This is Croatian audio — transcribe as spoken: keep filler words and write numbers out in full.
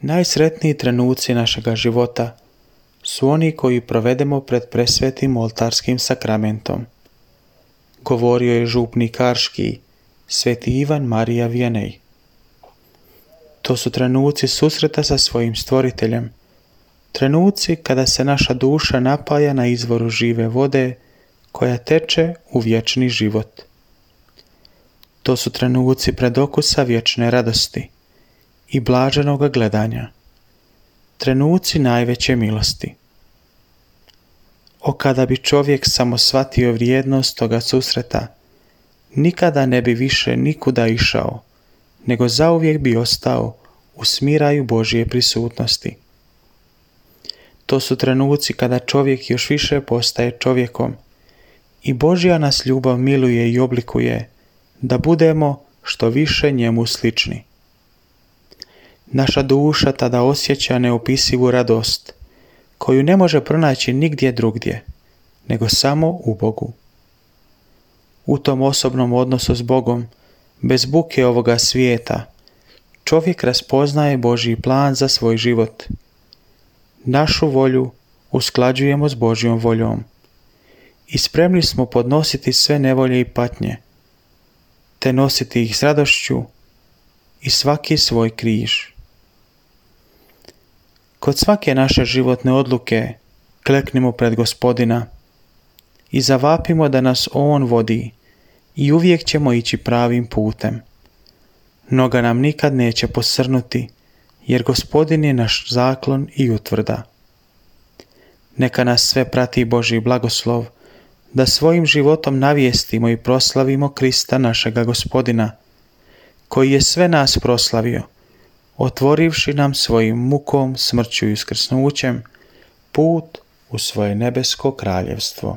Najsretniji trenuci našega života su oni koji provedemo pred presvetim oltarskim sakramentom. Govorio je župnik Karški, sveti Ivan Marija Vianney. To su trenuci susreta sa svojim stvoriteljem, trenuci kada se naša duša napaja na izvoru žive vode koja teče u vječni život. To su trenuci predokusa vječne radosti i blaženoga gledanja, trenuci najveće milosti. O kada bi čovjek samo shvatio vrijednost toga susreta, nikada ne bi više nikuda išao, nego zauvijek bi ostao u smiraju Božje prisutnosti. To su trenuci kada čovjek još više postaje čovjekom i Božja nas ljubav miluje i oblikuje da budemo što više njemu slični. Naša duša tada osjeća neopisivu radost, koju ne može pronaći nigdje drugdje, nego samo u Bogu. U tom osobnom odnosu s Bogom, bez buke ovoga svijeta, čovjek raspoznaje Božji plan za svoj život. Našu volju usklađujemo s Božjom voljom i spremni smo podnositi sve nevolje i patnje, te nositi ih s radošću i svaki svoj križ. Kod svake naše životne odluke kleknimo pred Gospodina i zavapimo da nas On vodi i uvijek ćemo ići pravim putem. Noga nam nikad neće posrnuti, jer Gospodin je naš zaklon i utvrda. Neka nas sve prati Božji blagoslov, da svojim životom navijestimo i proslavimo Krista našega Gospodina, koji je sve nas proslavio, otvorivši nam svojim mukom, smrću i uskrsnućem put u svoje nebesko kraljevstvo.